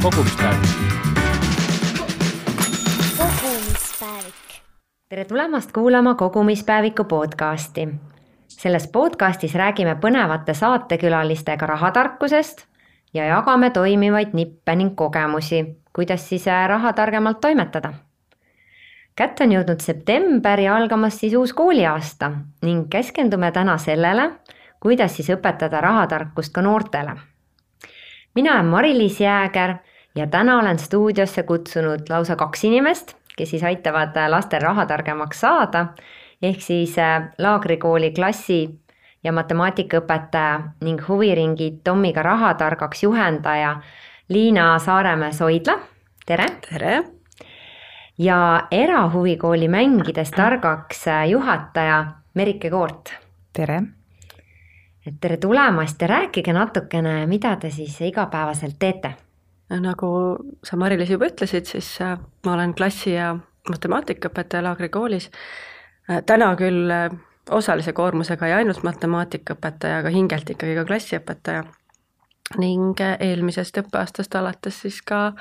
kogumispäevik. Tere tulemast kuulama Kogumispäeviku podcasti. Selles podcastis räägime põnevate saatekülalistega rahatarkusest ja jagame toimivaid nippe ning kogemusi, kuidas siis raha targemalt toimetada. Kätte on jõudnud september ja algamas siis uus kooliaasta ning keskendume täna sellele, kuidas siis õpetada rahatarkust ka noortele. Mina olen Mari-Liis Jääger ja täna olen stuudiosse kutsunud lausa 2 inimest, kes siis aitavad lastel rahatargemaks saada, ehk siis laagrikooli klassi- ja matemaatikaõpetaja ning huviringi Tommiga rahatargaks juhendaja Liina Saaremäe-Soidla. Tere! Tere! Ja erahuvikooli Mängides targaks juhataja Merike Koort. Tere! Tere tulemast ja rääkige natukene, mida te siis igapäevaselt teete? Nagu sa Mari-Liis juba ütlesid, siis ma olen klassi- ja matemaatikaõpetaja laagrikoolis. Täna küll osalise koormusega ja ainult matemaatikaõpetaja, aga hingelt ikkagi ka klassiõpetaja. Ning eelmisest õppeaastast alates siis ka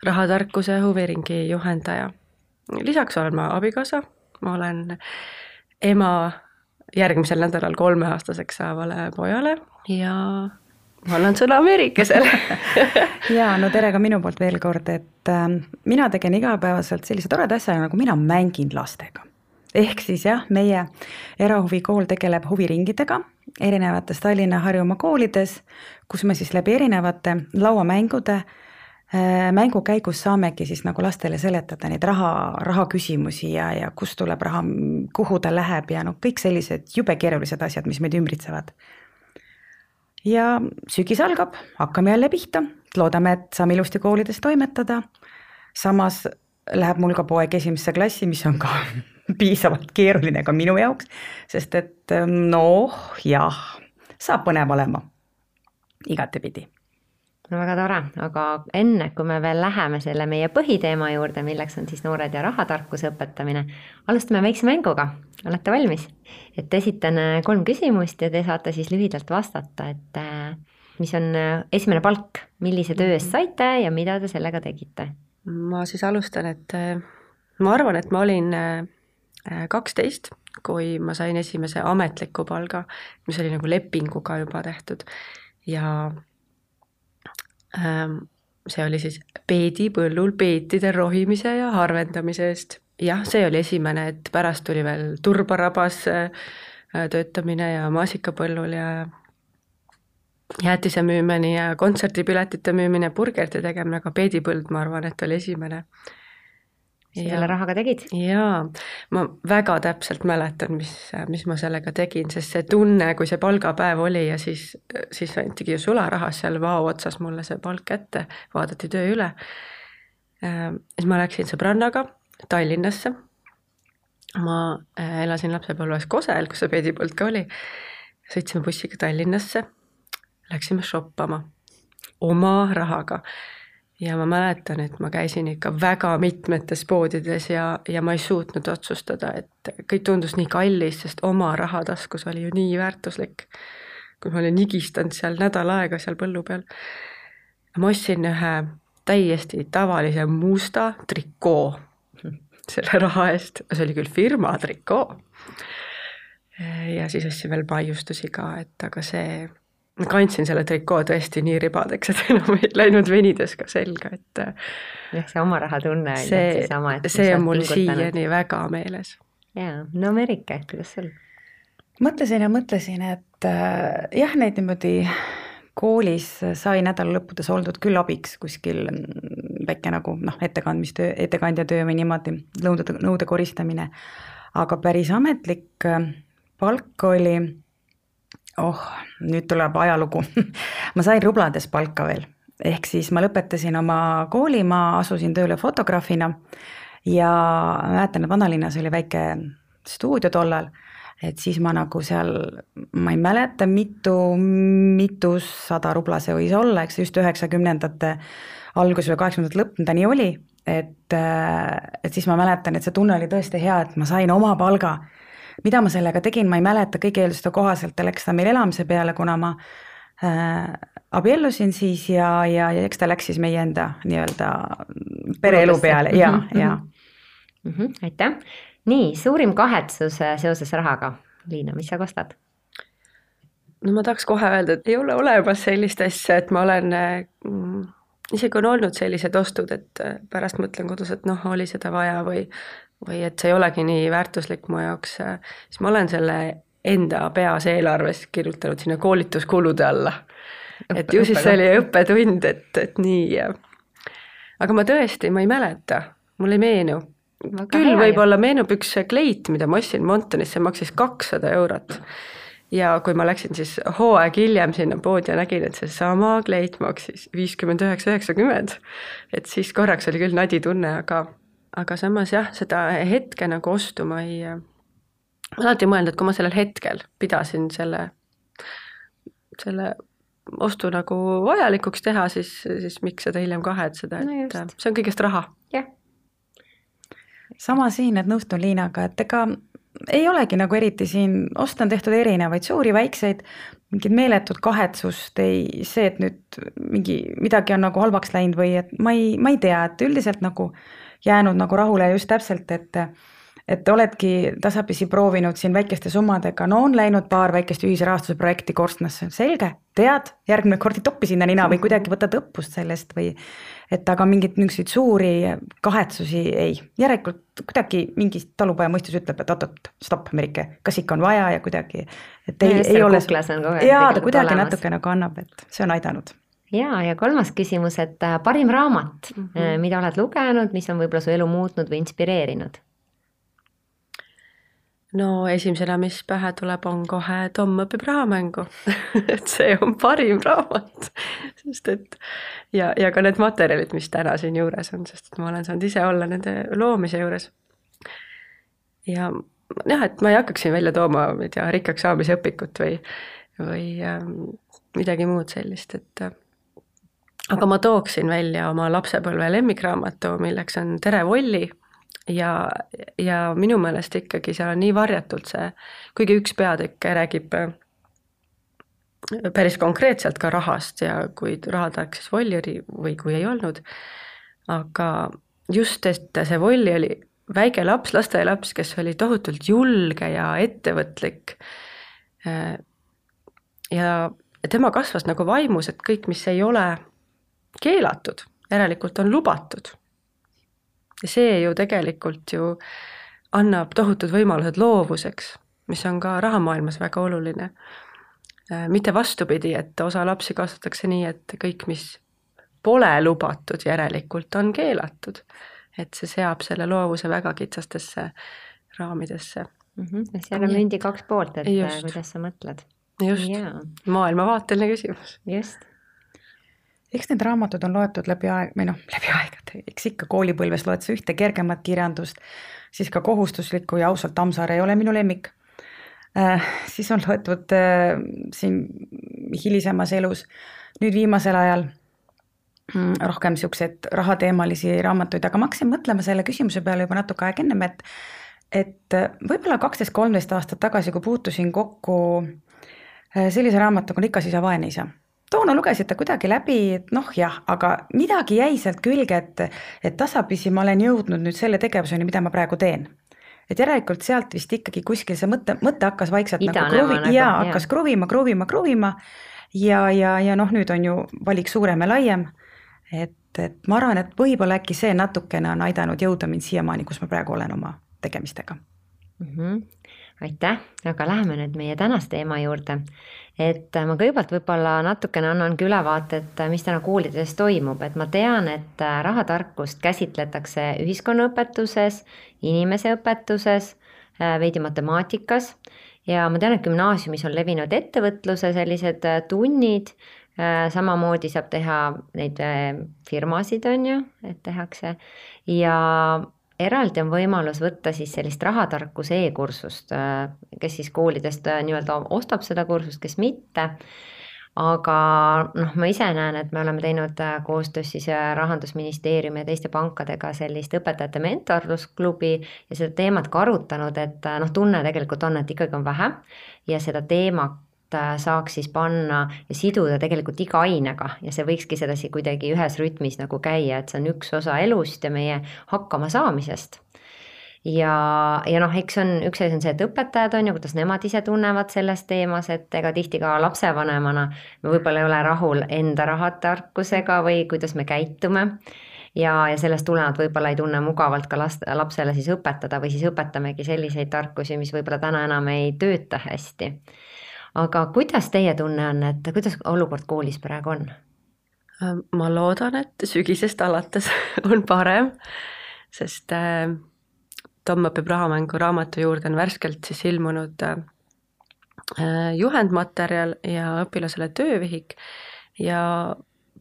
rahatarkuse huviringi juhendaja. Lisaks olen ma abikaasa, ma olen ema järgmisel nädalal 3-aastaseks saavale pojale ja ma annan sõna Merikesele. Ja no tere ka minu poolt veel kord, et mina tegin igapäevaselt sellise toreda asja, nagu mina mängin lastega. Ehk siis jah, meie erahuvikool tegeleb huviringidega erinevates Tallinna Harjumaa koolides, kus me siis läbi erinevate lauamängude mängu käigus saamegi siis nagu lastele seletada neid raha küsimusi ja kust tuleb raha, kuhu ta läheb ja kõik sellised jube keerulised asjad, mis meid ümbritsevad. Ja sügis algab, hakkame jälle pihta, loodame, et saame ilusti koolides toimetada. Samas läheb mul ka poeg 1. klassi, mis on ka piisavalt keeruline ka minu jaoks, sest et jah, saab põnev olema igatepidi. No väga tore, aga enne, kui me veel läheme selle meie põhiteema juurde, milleks on siis noored ja rahatarkuse õpetamine, alustame väikse mänguga. Olete valmis? Et esitan 3 küsimust ja te saate siis lühidalt vastata, et mis on esimene palk, millise töö eest saite ja mida te sellega tegite? Ma siis alustan, et ma arvan, et ma olin 12, kui ma sain esimese ametliku palga, mis oli nagu lepinguga juba tehtud ja see oli siis peedipõllul peetide rohimise ja harvendamise eest. Jah, see oli esimene, et pärast tuli veel turbarabas töötamine ja maasikapõllul ja jäätise müümine ja kontserdipiletite müümine, burgerite tegemine, aga peedipõld, ma arvan, et oli esimene. Selle rahaga tegid? Jaa, ma väga täpselt mäletan, mis ma sellega tegin, sest see tunne, kui see palgapäev oli ja siis antigi ju sularahas seal vao otsas mulle see palk ette, vaadati töö üle. Siis ma läksin sõbrannaga Tallinnasse. Ma elasin lapsepõlves Kosel, kus see peedipõld ka oli. Sõitsime bussiga Tallinnasse, läksime shoppama oma rahaga. Ja ma mäletan, et ma käisin ikka väga mitmetes poodides ja ma ei suutnud otsustada, et kõik tundus nii kallis, sest oma rahataskus oli ju nii väärtuslik, kui ma olin nigistanud seal nädal aega seal põllu peal. Ma ostsin ühe täiesti tavalise musta trikoo selle raha eest, see oli küll firma trikoo. Ja siis ostsin veel maiustusi ka, et aga see... Ma kandsin selle trikoo tõesti nii ribadeks, et enam ei läinud venides ka selga, et see oma raha tunne oli see on mul siiani väga meeles. Jaa, no Merike, kuidas sul? Mõtlesin, et jah, neid niimoodi koolis sai nädala lõppudes oldud küll abiks kuskil väike nagu ettekandja töö või niimoodi nõude koristamine, aga päris ametlik palk oli nüüd tuleb ajalugu. Ma sain rublades palka veel. Ehk siis ma lõpetasin oma kooli, ma asusin tööle fotograafina ja mäletan, et vanalinnas oli väike stuudio tollal, et siis ma nagu seal, ma ei mäleta, mitu 100 rubla see võis olla, eks just 90ndate algus või 80ndate lõpp, ta nii oli, et siis ma mäletan, et see tunne oli tõesti hea, et ma sain oma palga. Mida ma sellega tegin, ma ei mäleta, kõige eelduste kohaselt läks ta meil elamise peale, kuna ma abiellusin siis ja eks ta läks siis meie enda nii-öelda pereelu peale ja. Aitäh. Nii, suurim kahetsus seoses rahaga. Liina, mis sa kostad? No ma tahaks kohe öelda, et ei ole olemas sellist asja, et ma olen, isegi on olnud sellised ostud, et pärast mõtlen kodus, et noh, oli seda vaja või et see ei olegi nii väärtuslik mu jaoks, siis ma olen selle enda peas eelarves kirjutanud sinna koolituskulude alla. Et ju siis see oli õppetund, et nii. Aga ma tõesti, ma ei mäleta, mul ei meenu. Küll võib-olla meenub üks kleit, mida ma ostsin Montonis, see maksis 200 €. Ja kui ma läksin siis hooaeg hiljem sinna poodi ja nägin, et see sama kleit maksis 59,90, et siis korraks oli küll nadi tunne, aga samas jah, seda hetke nagu ostu ma ei alati mõelnud, et kui ma sellel hetkel pidasin selle ostu nagu vajalikuks teha, siis miks seda hiljem kahetseda, et see on kõigest raha. Jah. Sama siin, et nõustun Liinaga, et ega ei olegi nagu eriti siin, osta on tehtud erinevaid suuri, väikseid, mingid meeletud kahetsust, see, et nüüd midagi on nagu halvaks läinud või et ma ei tea, et üldiselt nagu jäänud nagu rahule just täpselt, et oledki tasapisi proovinud siin väikeste summadega, no on läinud paar väikest ühisrahastuse projekti korstnasse, selge, tead, järgmine kord ei toppi sinna nina või kuidagi võtad õppust sellest või et aga mingit niisuguseid suuri kahetsusi ei. Järelikult kuidagi mingi talupoja mõistus ütleb, et oot, stopp, Merike, kas ikka on vaja ja kuidagi, et ei ole. Jaa, ta kuidagi natuke nagu annab, et see on aidanud. Ja 3. küsimus, et parim raamat, mida oled lugenud, mis on võib-olla su elu muutnud või inspireerinud? No esimesena, mis pähe tuleb, on kohe Tom õpib rahamängu. Et see on parim raamat. Sest et, ja ka need materjalid, mis täna siin juures on, sest et ma olen saanud ise olla nende loomise juures. Ja jah, et ma ei hakkaks siin välja tooma rikkaks saamise õpikut või midagi muud sellist, et aga ma tooksin välja oma lapsepõlve lemmikraamatu, milleks on Tere Volli. Ja minu meelest ikkagi seal on nii varjatult see, kuigi üks peatükk räägib päris konkreetselt ka rahast ja kui rahatark siis Volli oli või kui ei olnud, aga just, et see Volli oli väike laps, lasteaialaps, kes oli tohutult julge ja ettevõtlik ja tema kasvas nagu vaimus, et kõik, mis ei ole keelatud, järelikult on lubatud. Ja see ju tegelikult ju annab tohutud võimalused loovuseks, mis on ka rahamaailmas väga oluline. Mitte vastupidi, et osa lapsi kasvatakse nii, et kõik, mis pole lubatud, järelikult on keelatud. Et see seab selle loovuse väga kitsastesse raamidesse. Seal on mündi 2 poolt, et just. Kuidas sa mõtled? Just, maailmavaateline küsimus. Just. Eks need raamatud on loetud läbi aegade, eks ikka koolipõlves loed sa ühte kergemat kirjandust, siis ka kohustuslikku ja ausalt Tammsaare ei ole minu lemmik. Siis on loetud siin hilisemas elus, nüüd viimasel ajal rohkem siukseid rahateemalisi raamatuid, aga ma hakkasin mõtlema selle küsimuse peale juba natuke aeg ennem, et võib-olla 12-13 aastat tagasi, kui puutusin kokku sellise raamatuga on Rikas isa, vaene isa. Toona lugesid ta kuidagi läbi, et noh jah, aga midagi jäi sealt külge, et tasapisi ma olen jõudnud nüüd selle tegevuseni, mida ma praegu teen. Et järelikult sealt vist ikkagi kuskil see mõte hakkas vaikselt hakkas kruvima ja noh, nüüd on ju valik suurem ja laiem, et ma arvan, et võib-olla äkki see natukene on aidanud jõuda mind siiamaani, kus ma praegu olen oma tegemistega. Aitäh, aga läheme nüüd meie tänast teema juurde, et ma kõigepealt võib-olla natukene annangi ülevaate, et mis täna koolides toimub, et ma tean, et rahatarkust käsitletakse ühiskonnaõpetuses, inimeseõpetuses, veidi matemaatikas ja ma tean, et gümnaasiumis on levinud ettevõtluse sellised tunnid, samamoodi saab teha neid firmasid on ju, et tehakse ja eraldi on võimalus võtta siis sellist rahatarkuse e-kursust, kes siis koolidest nii-öelda ostab seda kursust, kes mitte. Aga ma ise näen, et me oleme teinud koostöös siis Rahandusministeeriumi ja teiste pankadega sellist õpetajate mentorlusklubi ja seda teemat ka arutanud, et tunne tegelikult on, et ikkagi on vähe ja seda teema saaks siis panna ja siduda tegelikult iga ainega ja see võikski sedasi kuidagi ühes rütmis nagu käia, et see on üks osa elust ja meie hakkama saamisest. Ja eks on, üks asi on see, et õpetajad on ju, kuidas nemad ise tunnevad selles teemas, et ega tihti ka lapsevanemana me võib-olla ei ole rahul enda rahatarkusega või kuidas me käitume ja sellest tulenevalt võib-olla ei tunne mugavalt ka lapsele siis õpetada või siis õpetamegi selliseid tarkusi, mis võib-olla täna enam ei tööta hästi. Aga kuidas teie tunne on, et kuidas olukord koolis praegu on? Ma loodan, et sügisest alates on parem, sest Tom õpib rahamängu raamatu juurde on värskelt siis ilmunud juhendmaterjal ja õpilasele töövihik ja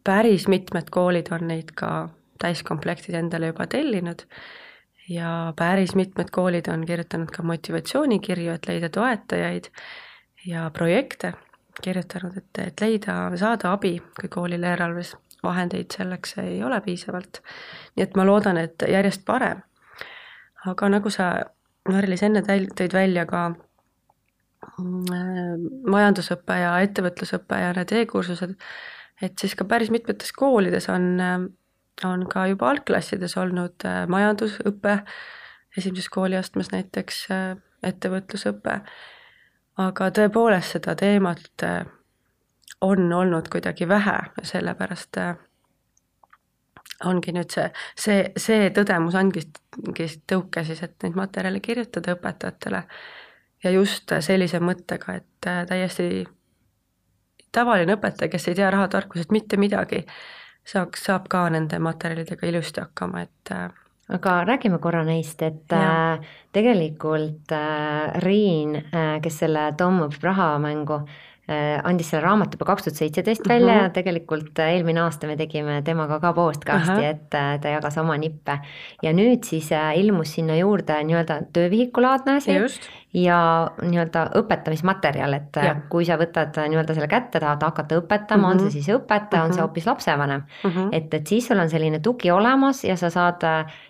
päris mitmed koolid on neid ka täiskomplektid endale juba tellinud ja päris mitmed koolid on kirjutanud ka motivatsioonikirju, et leida toetajaid ja projekte kirjutanud, et saada abi, kui koolil eelarves vahendeid selleks ei ole piisavalt. Nii et ma loodan, et järjest parem. Aga nagu sa, Mari-Liis, enne tõid välja ka majandusõppe ja ettevõtlusõppe ja need e-kursused, et siis ka päris mitmetes koolides on ka juba algklassides olnud majandusõppe, esimeses kooliastmes näiteks ettevõtlusõppe, aga tõepoolest seda teemat on olnud kuidagi vähe ja sellepärast ongi nüüd see tõdemus ongi tõuke siis, et neid materjale kirjutada õpetajatele ja just sellise mõttega, et täiesti tavaline õpetaja, kes ei tea rahatarkusest mitte midagi, saab ka nende materjalidega ilusti hakkama, et aga räägime korra neist, et tegelikult Riin, kes selle Tom õpib rahamängu, andis selle raamatu juba 2017 välja ja tegelikult eelmine aasta me tegime temaga ka podcasti, et ta jagas oma nippe ja nüüd siis ilmus sinna juurde nii-öelda töövihikulaadne asi ja nii-öelda õpetamismaterjal, et kui sa võtad nii-öelda selle kätte, tahad hakata õpetama, on see siis õpetaja, on see hoopis lapsevanem, et siis sul on selline tugi olemas ja sa saad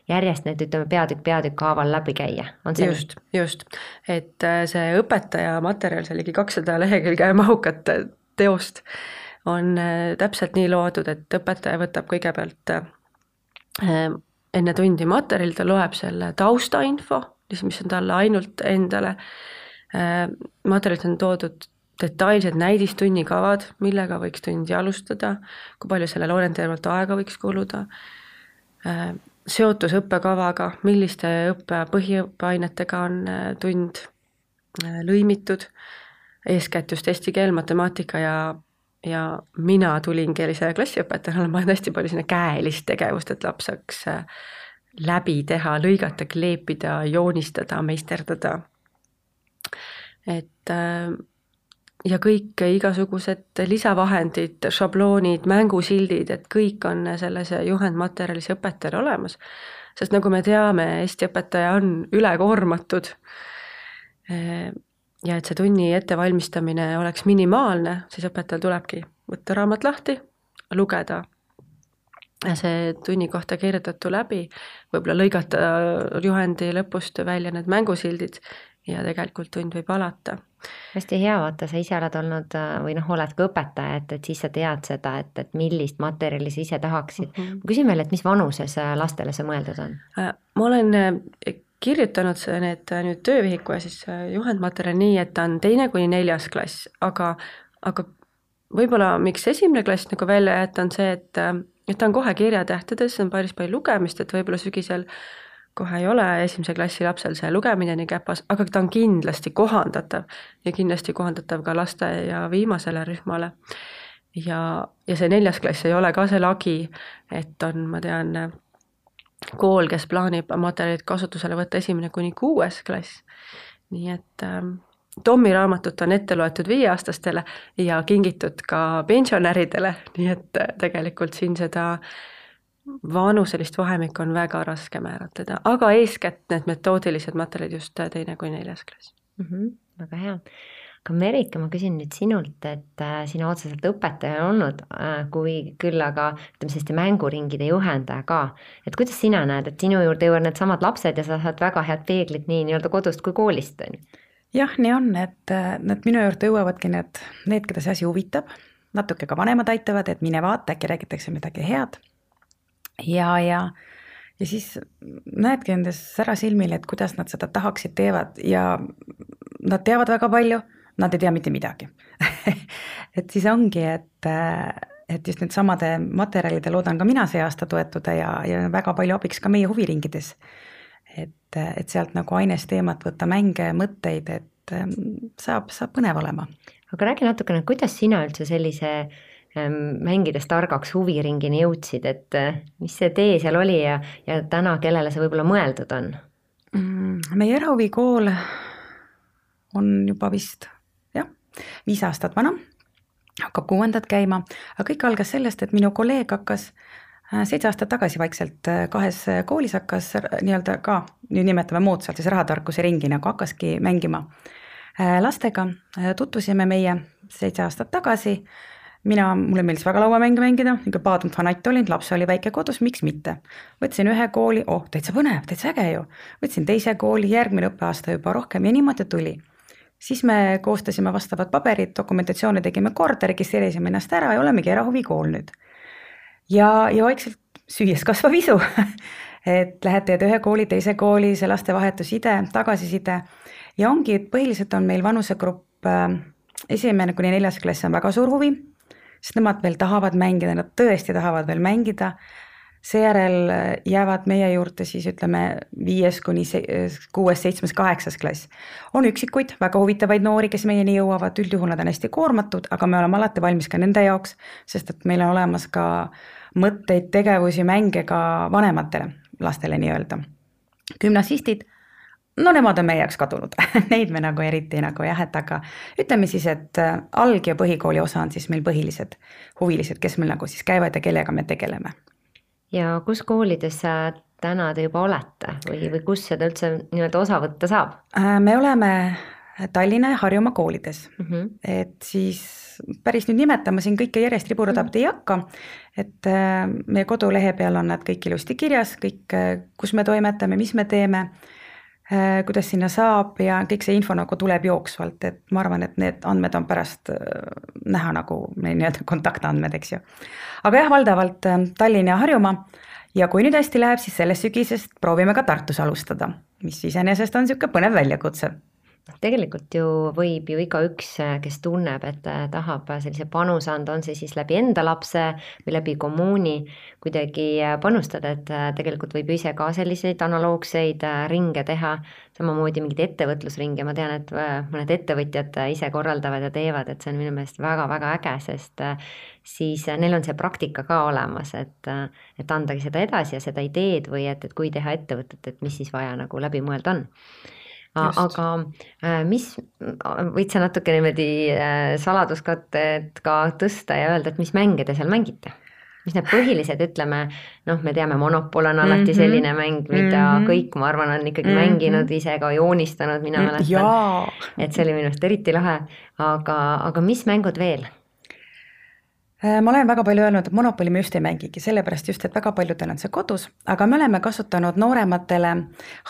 järjest need, ütleme, peatükk haaval läbi käia. Just, et see õpetaja materjal, see ligi 200 lehekülge mahukat teost on täpselt nii loodud, et õpetaja võtab kõigepealt enne tundi materjali, ta loeb selle taustainfo, mis on talle ainult endale. Materjalid on toodud detailsed näidistunnikavad, millega võiks tundi alustada, kui palju sellele orienteerivalt aega võiks kuluda, seotus õppekavaga, milliste põhiõppeainetega on tund lõimitud, eeskätt just eesti keel, matemaatika ja mina tulingi sellise klassiõpetajana, ma olen hästi palju sinna käelist tegevust, et laps saaks läbi teha, lõigata, kleepida, joonistada, meisterdada. Et ja kõik igasugused lisavahendid, šabloonid, mängusildid, et kõik on selles juhendmaterjalis õpetajal olemas. Sest nagu me teame, Eesti õpetaja on ülekoormatud ja et see tunni ettevalmistamine oleks minimaalne, siis õpetajal tulebki võtta raamat lahti, lugeda see tunni kohta kirjutatu läbi, võib-olla lõigata juhendi lõpust välja need mängusildid ja tegelikult tund võib alata. Hästi hea, vaata, sa ise oled olnud või oled ka õpetaja, et siis sa tead seda, et millist materjali sa ise tahaksid. Ma küsin veel, et mis vanuses lastele see mõeldud on? Ma olen kirjutanud need nüüd töövihiku ja siis juhendmaterjal nii, et ta on 2.–4. klass, aga võib-olla miks 1. klass nagu välja jätta on see, et ta on kohe kirjatähtedes, on päris palju lugemist, et võib-olla sügisel kohe ei ole 1. klassi lapsel see lugemine nii käpas, aga ta on kindlasti kohandatav ja kindlasti kohandatav ka laste ja viimasele rühmale. Ja see 4. klass ei ole ka see lagi, et on, ma tean, kool, kes plaanib materjalid kasutusele võtta 1.–6. klass. Nii et Tommi raamatut on ette loetud 5-aastastele ja kingitud ka pensionäridele, nii et tegelikult siin seda vanuselist vahemikku on väga raske määratleda, aga eeskätt need metoodilised materjalid just 2.–4. klass. Väga hea. Aga Merike, ma küsin nüüd sinult, et sina otseselt õpetaja on olnud, kui küll aga ütleme selliste mänguringide juhendaja ka. Et kuidas sina näed, et sinu juurde jõuavad need samad lapsed ja sa saad väga head peeglit nii nii-öelda kodust kui koolist? jah, nii on, et minu juurde jõuavadki need, keda see asi huvitab, natuke ka vanemad aitavad, et mine vaata, äkki räägitakse midagi head. Ja siis näedki endas ära silmil, et kuidas nad seda tahaksid teevad ja nad teavad väga palju, nad ei tea mitte midagi. Et siis ongi, et just need samade materjalide loodan ka mina see aasta toetuda ja väga palju abiks ka meie huviringides. Et sealt nagu ainesteemat võtta, mänge, mõtteid, et saab põnev olema. Aga räägi natukene, kuidas sina üldse sellise mängides targaks huviringini jõudsid, et mis see tee seal oli ja täna, kellele see võib-olla mõeldud on? Meie erahuvikool on juba vist 5 aastat vana, hakkab 6. käima, aga kõik algas sellest, et minu kolleeg hakkas 7 aastat tagasi vaikselt 2 koolis hakkas nii-öelda ka, nüüd nimetame moodsalt siis rahatarkuse ringi, nagu hakkaski mängima lastega. Tutvusime meie 7 aastat tagasi, mulle meeldis väga lauamänge mängida, ikka paadunud fanatt olin, laps oli väike kodus, miks mitte. Võtsin 1 kooli, täitsa põnev, täitsa äge ju. Võtsin 2 kooli, järgmine õppeaasta juba rohkem ja niimoodi tuli. Siis me koostasime vastavad paberid, dokumentatsioone tegime korda, registreerisime ennast ära ja olemegi erahuvikool nüüd. Ja vaikselt süües kasvav isu, et lähed teed 1 kooli, 2 kooli, see laste vahetuside, tagasiside ja ongi, et põhiliselt on meil vanusegrupp 1. kuni 4. klass on väga suur huvi, sest nemad veel tahavad mängida, nad tõesti tahavad veel mängida. Seejärel jäävad meie juurde siis ütleme 5. kuni 6., 7., 8. klass. On üksikuid, väga huvitavaid noori, kes meieni jõuavad, üldjuhul nad on hästi koormatud, aga me oleme alati valmis ka nende jaoks, sest et meil on olemas ka mõtteid, tegevusi, mänge ka vanematele lastele nii-öelda. Gümnasistid, no nemad on meie jaoks kadunud, neid me nagu eriti nagu jah, et aga ütleme siis, et alg- ja põhikooli osa on siis meil põhilised huvilised, kes meil nagu siis käivad ja kellega me tegeleme. Ja kus koolides täna te juba olete või kus seda üldse nii-öelda osa võtta saab? Me oleme Tallinna ja Harjumaa koolides, et siis päris nüüd nimetama siin kõike järjest riburadapidi ei hakka, et meie kodulehe peal on nad kõik ilusti kirjas, kõik, kus me toimetame, mis me teeme, kuidas sinna saab ja kõik see info nagu tuleb jooksvalt, et ma arvan, et need andmed on pärast näha nagu nii-öelda kontaktandmed, eks ju. Aga jah, valdavalt Tallinn ja Harjumaa ja kui nüüd hästi läheb, siis sellest sügisest proovime ka Tartus alustada, mis iseenesest on niisugune põnev väljakutse. Tegelikult ju võib ju igaüks, kes tunneb, et tahab sellise panuse anda, on see siis läbi enda lapse või läbi kommuuni kuidagi panustada, et tegelikult võib ise ka selliseid analoogseid ringe teha, samamoodi mingid ettevõtlusringe, ma tean, et mõned ettevõtjad ise korraldavad ja teevad, et see on minu meelest väga-väga äge, sest siis neil on see praktika ka olemas, et andagi seda edasi ja seda ideed või et kui teha ettevõtet, et mis siis vaja nagu läbi mõelda on. Just. Aga mis, võid sa natuke niimoodi saladuskatted ka tõsta ja öelda, et mis mänge te seal mängite? Mis need põhilised, ütleme, me teame, Monopol on alati selline mäng, mida kõik, ma arvan, on ikkagi mänginud, ise ka joonistanud, mina mäletan, et see oli minu arust eriti lahe, aga mis mängud veel? Ma olen väga palju öelnud, et Monopoli me just ei mängigi, sellepärast just, et väga paljudel on see kodus, aga me oleme kasutanud noorematele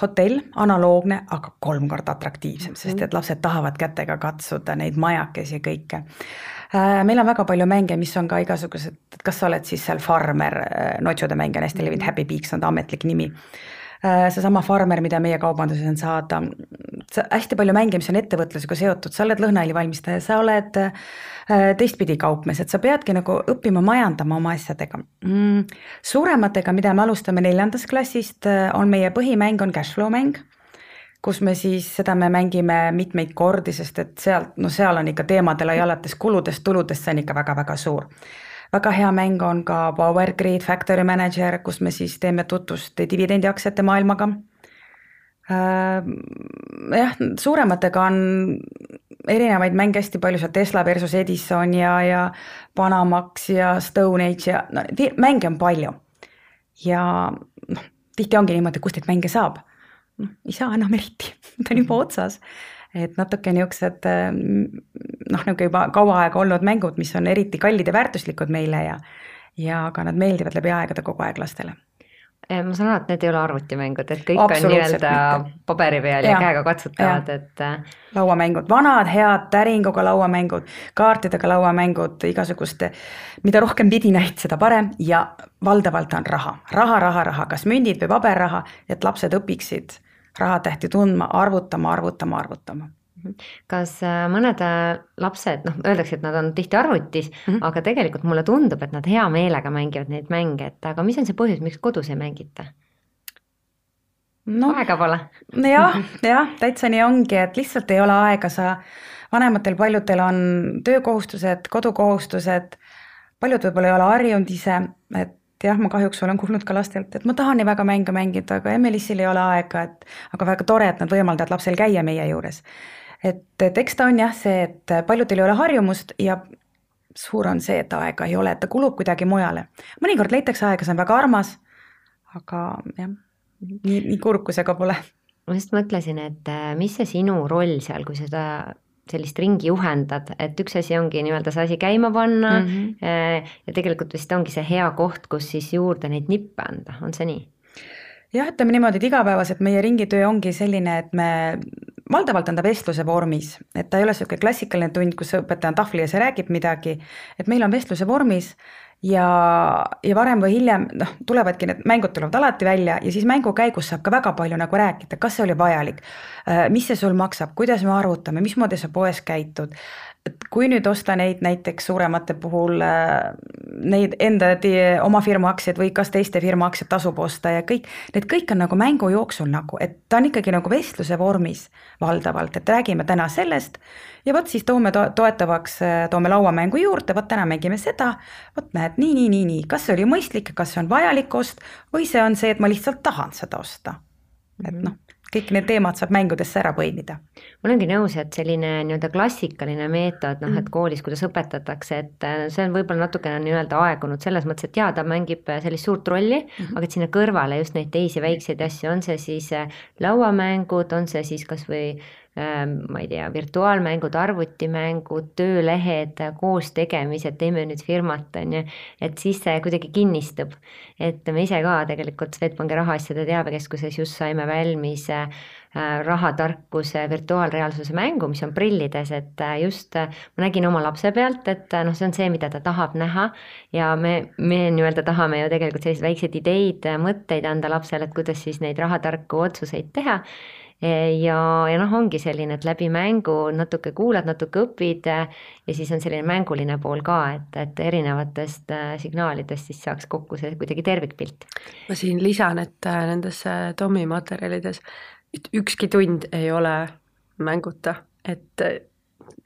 hotell, analoogne, aga 3 korda atraktiivsem, sest et lapsed tahavad kätega katsuda neid majakesi ja kõike. Meil on väga palju mänge, mis on ka igasugused, kas sa oled siis seal farmer, notsude mäng on hästi levinud, Happy Peaks on ta ametlik nimi. See sama farmer, mida meie kaubanduses on saada, hästi palju mänge, mis on ettevõtlusega seotud, sa oled lõhnaõli valmistaja, sa oled teistpidi kaupmees, et sa peadki nagu õppima majandama oma asjadega. Suurematega, mida me alustame 4. klassist, on meie põhimäng on cashflow mäng, kus me siis seda me mängime mitmeid kordi, sest et seal on ikka teemadele ja alates kuludest, tuludest, see on ikka väga-väga suur. Väga hea mäng on ka Power Grid Factory Manager, kus me siis teeme tutvust dividendiaktsiate maailmaga. Jah, suurematega on erinevaid mänge hästi palju, seal Tesla versus Edison ja Panamax ja Stone Age ja mänge on palju. Ja tihti ongi niimoodi, kust neid mänge saab. Ei saa enam eriti, ta on juba otsas. Et natuke niisugused nagu juba kaua aega olnud mängud, mis on eriti kallid ja väärtuslikud meile ja aga nad meeldivad läbi aegade kogu aeg lastele. Ma saan aru, et need ei ole arvutimängud, et kõik on nii-öelda paberi peal ja käega katsutavad, et lauamängud, vanad head täringuga lauamängud, kaartidega lauamängud, igasuguste, mida rohkem vidinaid, seda parem ja valdavalt on raha, kas mündid või paberraha, et lapsed õpiksid rahatähti tundma, arvutama. Kas mõned lapsed, öeldakse, et nad on tihti arvutis, aga tegelikult mulle tundub, et nad hea meelega mängivad neid mänge, et aga mis on see põhjus, miks kodus ei mängita? Aega pole. jah, täitsa nii ongi, et lihtsalt ei ole aega, vanematel paljudel on töökohustused, kodukohustused, paljud võib-olla ei ole harjunud ise, et jah, ma kahjuks olen kuulnud ka lastelt, et ma tahan nii väga mänge mängida, aga Emelissil ei ole aega, aga väga tore, et nad võimaldavad lapsel käia meie juures. Et eks ta on jah see, et paljudel ei ole harjumust ja suur on see, et aega ei ole, et ta kulub kuidagi mujale. Mõnikord leitakse aega, see on väga armas, aga jah, nii kurb, kui see ka pole. Ma just mõtlesin, et mis see sinu roll seal, kui seda sellist ringi juhendad, et üks asi ongi nii-öelda see asi käima panna ja tegelikult vist ongi see hea koht, kus siis juurde neid nippe anda, on see nii? Jah, ütleme niimoodi, et igapäevaselt meie ringitöö ongi selline, et me valdavalt on ta vestluse vormis, et ta ei ole selline klassikaline tund, kus õpetaja on tahvli ees ja räägib midagi, et meil on vestluse vormis ja varem või hiljem tulevadki need mängud tulevad alati välja ja siis mängu käigus saab ka väga palju nagu rääkida, kas see oli vajalik, mis see sul maksab, kuidas me arvutame, mismoodi sa poes käitud. Et kui nüüd osta neid näiteks suuremate puhul neid enda oma firma aktsiaid või kas teiste firma aktsiaid tasub osta ja need kõik on nagu mängu jooksul nagu, et ta on ikkagi nagu vestluse vormis valdavalt, et räägime täna sellest ja vot siis toome toetavaks, toome lauamängu juurde, vot täna mängime seda, vot näed, nii, kas see oli mõistlik, kas see on vajalik ost või see on see, et ma lihtsalt tahan seda osta, et kõik need teemad saab mängudesse ära põimida. Ma olengi nõus, et selline nii-öelda klassikaline meetod, et koolis, kuidas õpetatakse, et see on võib-olla natukene nii-öelda aegunud selles mõttes, et ta mängib sellist suurt rolli, aga et sinna kõrvale just neid teisi väikseid asju, on see siis lauamängud, on see siis kas või ma ei tea, virtuaalmängud, arvutimängud, töölehed, koos tegemised, teeme nüüd firmat, on ju, et siis see kuidagi kinnistub. Et me ise ka tegelikult Swedbanki rahaasjade teabekeskuses just saime valmis rahatarkuse virtuaalreaalsuse mängu, mis on prillides, et just ma nägin oma lapse pealt, et see on see, mida ta tahab näha ja me nii-öelda tahame ju tegelikult selliseid väikseid ideid, mõtteid anda lapsele, et kuidas siis neid rahatarku otsuseid teha. Ja ongi selline, et läbi mängu natuke kuulad, natuke õpid ja siis on selline mänguline pool ka, et erinevatest signaalidest siis saaks kokku see kuidagi tervikpilt. Ma siin lisan, et nendes Tommi materjalides ükski tund ei ole mänguta, et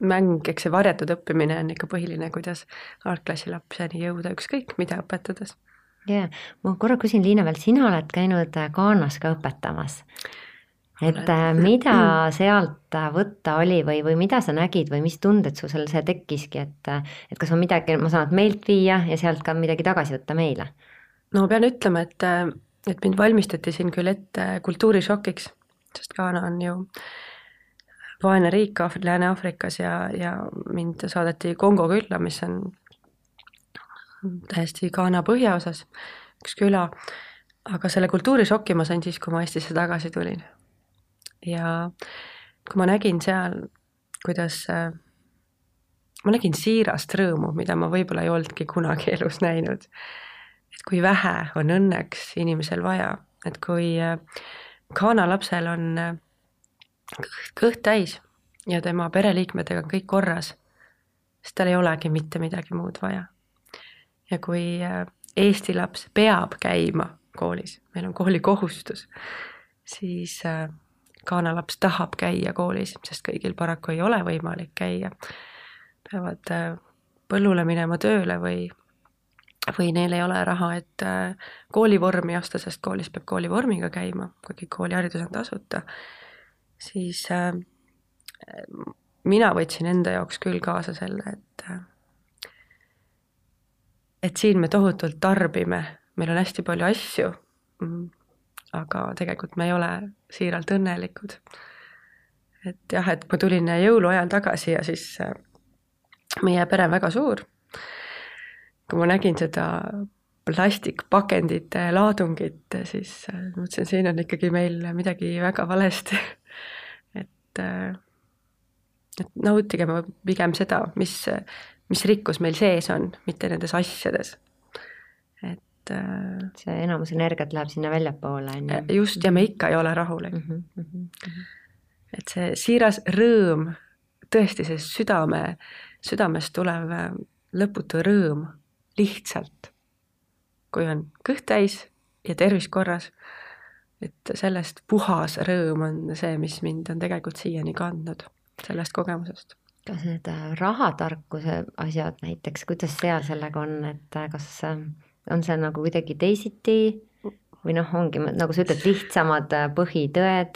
mäng, eks see varjatud õppimine on ikka põhiline, kuidas algklassi lapseni jõuda ükskõik, mida õpetades. Jaa, ma korra küsin, Liina, veel sina oled käinud Ghanas ka õpetamas. Et mida sealt võtta oli või mida sa nägid või mis tunded sul see tekkiski, et kas on midagi, ma saan meilt viia ja sealt ka midagi tagasi võtta meile? No pean ütlema, et mind valmistati siin küll ette kultuurishokiks, sest Ghana on ju vaene riik Lääne-Aafrikas ja mind saadeti Kongo külla, mis on täiesti Ghana põhjaosas, üks küla, aga selle kultuurishoki ma sain siis, kui ma Eestisse tagasi tulin. Ja kui ma nägin seal, kuidas ma nägin siirast rõõmu, mida ma võib-olla ei oldki kunagi elus näinud, et kui vähe on õnneks inimesel vaja, et kui Ghana lapsel on kõht täis ja tema pereliikmetega on kõik korras, siis tal ei olegi mitte midagi muud vaja. Ja kui Eesti laps peab käima koolis, meil on koolikohustus, siis Ghana laps tahab käia koolis, sest kõigil paraku ei ole võimalik käia. Peavad põllule minema tööle või neil ei ole raha, et koolivormi osta, sest koolis peab koolivormiga käima, kuigi kooliharidus on tasuta. Siis mina võtsin enda jaoks küll kaasa selle, et siin me tohutult tarbime, meil on hästi palju asju, aga tegelikult me ei ole siiralt õnnelikud. Et jah, et ma tulin jõuluajal tagasi ja siis meie pere on väga suur. Kui ma nägin seda plastikpakendite laadungit, siis mõtlesin, siin on ikkagi meil midagi väga valesti. et nautigem pigem seda, mis rikkus meil sees on, mitte nendes asjades. Et see enamus energiat läheb sinna väljapoole. Just, ja me ikka ei ole rahulik. Et see siiras rõõm, tõesti see südamest tulev lõputu rõõm lihtsalt, kui on kõht täis ja tervis korras, et sellest puhas rõõm on see, mis mind on tegelikult siiani kandnud sellest kogemusest. Kas need rahatarkuse asjad näiteks, kuidas seal sellega on, et kas on see nagu kuidagi teisiti või ongi, nagu sa ütled, lihtsamad põhitõed?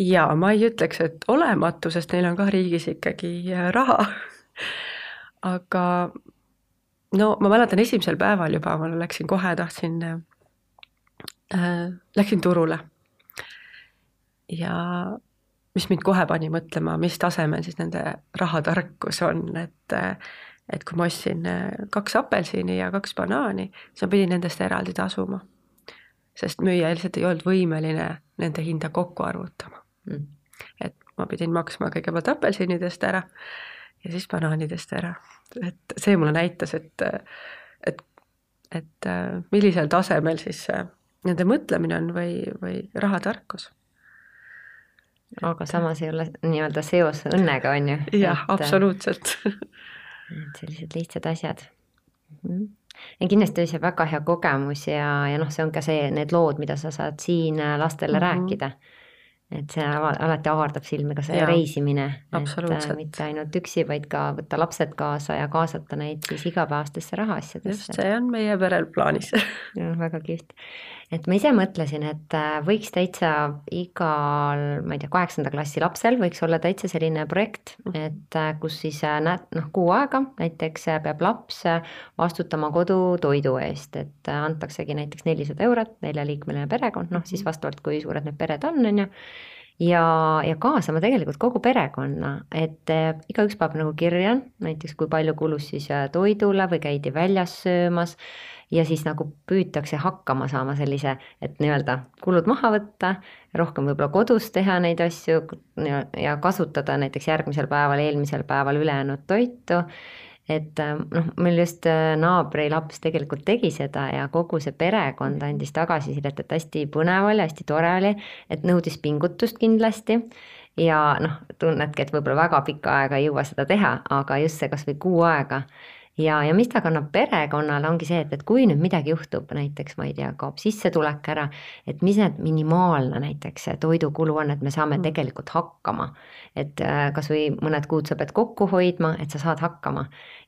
Ja ma ei ütleks, et olematu, sest neil on ka riigis ikkagi raha. Aga ma mäletan esimesel päeval juba, ma läksin kohe, läksin turule. Ja mis mind kohe pani mõtlema, mis tasemel siis nende rahatarkus on, et kui ma ostsin 2 apelsini ja 2 banaani, siis ma pidin nendest eraldi tasuma. Sest müüja lihtsalt ei olnud võimeline nende hinda kokku arvutama. Et ma pidin maksma kõigepealt apelsinidest ära ja siis banaanidest ära. Et see mulle näitas, et millisel tasemel siis nende mõtlemine on või rahatarkus. Aga samas ei ole nii-öelda seos õnnega, on ju? Jah, absoluutselt. Sellised lihtsad asjad. Ja kindlasti oli see väga hea kogemus ja see on ka need lood, mida sa saad siin lastele rääkida. Et see alati avardab silmi ka see reisimine, et mitte ainult üksi, vaid ka võtta lapsed kaasa ja kaasata neid siis igapäevastesse rahaasjadesse. Just, see on meie perel plaanis. Väga kihvt. Et ma ise mõtlesin, et võiks täitsa igal, ma ei tea, 8. klassi lapsel võiks olla täitsa selline projekt, et kus siis kuu aega näiteks peab laps vastutama kodutoidu eest, et antaksegi näiteks 400 €, 4-liikmeline perekond, siis vastavalt kui suured need pered on ju. Ja kaasama tegelikult kogu perekonna, et igaüks peab nagu kirja, näiteks kui palju kulus siis toidule või käidi väljas söömas ja siis nagu püütakse hakkama saama sellise, et nii-öelda kulud maha võtta, rohkem võib-olla kodus teha neid asju ja kasutada näiteks järgmisel päeval, eelmisel päeval ülejäänud toitu. Et meil just naabri laps tegelikult tegi seda ja kogu see perekond andis tagasisidet, et hästi põnev oli, hästi tore oli, et nõudis pingutust kindlasti ja tunnedki, et võib-olla väga pikka aega ei jõua seda teha, aga just see kas või kuu aega. Ja mis ta kannab perekonnale ongi see, et kui nüüd midagi juhtub, näiteks ma ei tea, kaob sissetulek ära, et mis need minimaalne näiteks toidukulu on, et me saame tegelikult hakkama. Et kas või mõned kuud sa pead kokku hoidma, et sa saad hakkama.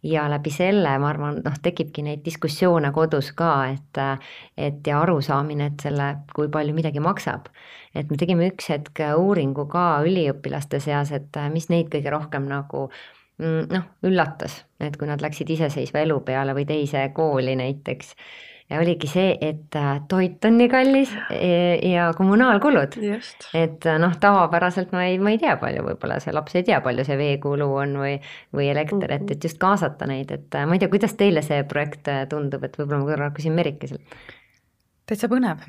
Ja läbi selle, ma arvan, tekibki neid diskussioone kodus ka, et ja arusaamine, et selle, kui palju midagi maksab. Et me tegime üks hetk uuringu ka üliõpilaste seas, et mis neid kõige rohkem nagu üllatas, et kui nad läksid iseseisva elu peale või teise kooli näiteks. Ja oligi see, et toit on nii kallis ja kommunaalkulud. Just. Et tavapäraselt ma ei tea palju, võib-olla see laps ei tea palju see veekulu on või elekter, et just kaasata neid, et ma ei tea, kuidas teile see projekt tundub, et võib-olla ma korra küsin Merikeselt. Täitsa põnev,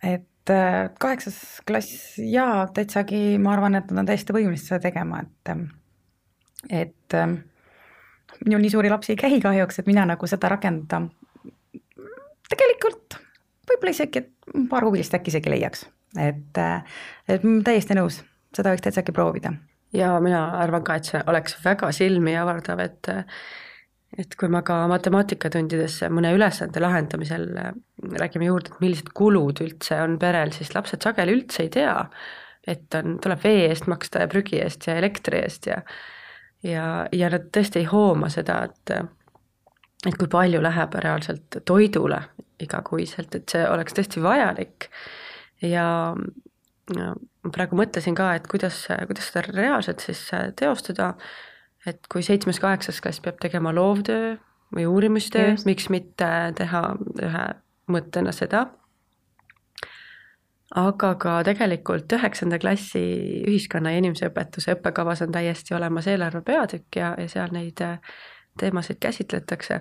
et 8. klass ja täitsagi, ma arvan, et nad on täiesti võimelised seda tegema, et minul nii suuri lapsi ei käi kahjuks, et mina nagu seda rakendada tegelikult võib-olla isegi, et paar huvilist äkki isegi leiaks, et täiesti nõus, seda võiks täitsagi proovida. Ja mina arvan ka, et see oleks väga silmi avardav, et kui ma ka matemaatikatundides mõne ülesande lahendamisel räägime juurde, et millised kulud üldse on perel, siis lapsed sageli üldse ei tea, et tuleb vee eest maksta ja prügi eest ja elektri eest ja nad tõesti ei hooma seda, et kui palju läheb reaalselt toidule igakuiselt, et see oleks tõesti vajalik ja praegu mõtlesin ka, et kuidas seda reaalselt siis teostada, et kui 7.-8. klass peab tegema loovtöö või uurimustöö, miks mitte teha ühe mõttena seda, aga ka tegelikult 9. klassi ühiskonna ja inimeseõpetuse õppekavas on täiesti olemas eelarve peatükk ja seal neid teemasid käsitletakse,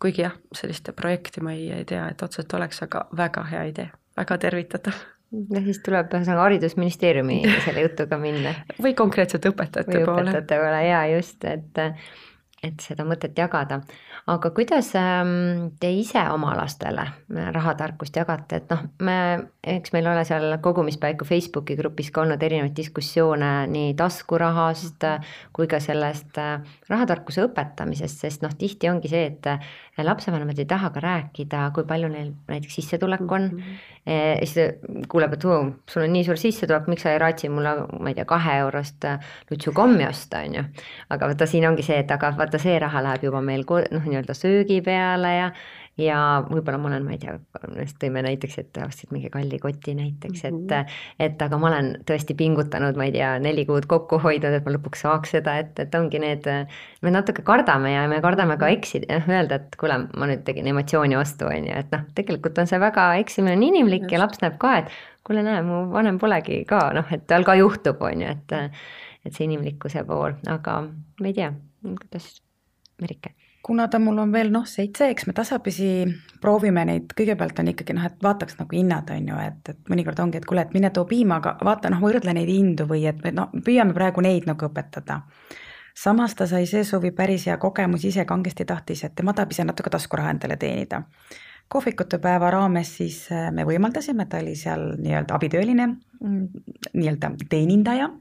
kuigi jah, sellist projekti ma ei tea, et otseselt oleks, aga väga hea idee, väga tervitatav. Ja siis tuleb haridusministeeriumi selle jutuga minna. Või konkreetselt õpetajate poole. Või õpetajate poole, jaa just, et seda mõtet jagada. Aga kuidas te ise oma lastele rahatarkust jagate, et eks meil ole seal kogumispäiku Facebooki grupis ka olnud erinevaid diskussioone nii taskurahast kui ka sellest rahatarkuse õpetamisest, sest tihti ongi see, et lapsevanemad ei taha ka rääkida, kui palju neil näiteks sissetulek on. Siis kuuleb, et sul on nii suur sissetulek, miks sa ei raatsi mulle, ma ei tea, 2 eurost lutsukommi osta, on ju. Aga vaata, siin ongi see, et aga vaata, see raha läheb juba meil nii-öelda söögi peale ja võib-olla ma olen, ma ei tea, tõime näiteks, et ostsid mingi kalli koti näiteks, et aga ma olen tõesti pingutanud, ma ei tea, 4 kuud kokku hoidnud, et ma lõpuks saaks seda, et ongi need, me natuke kardame ja me kardame ka eksida, öelda, et kuule, ma nüüd tegin emotsiooni ostu, on ju, et tegelikult on see väga eksimine on inimlik ja laps näeb ka, et kuule näe, mu vanem polegi ka, et tal ka juhtub, on ju, et see inimlikkuse pool, aga ma ei tea, kuidas Merike? Kuna ta mul on veel 7, eks me tasapisi proovime neid, kõigepealt on ikkagi et vaataks nagu hinnad on ju, et mõnikord ongi, et kuule, et mine too piima, aga vaata võrdle neid hindu või et püüame praegu neid nagu õpetada. Samas ta sai see suvi päris hea kogemus, ise kangesti tahtis, et tema tahab ise natuke taskuraha endale teenida. Kohvikute päeva raames siis me võimaldasime, ta oli seal nii-öelda abitööline, nii-öelda teenindaja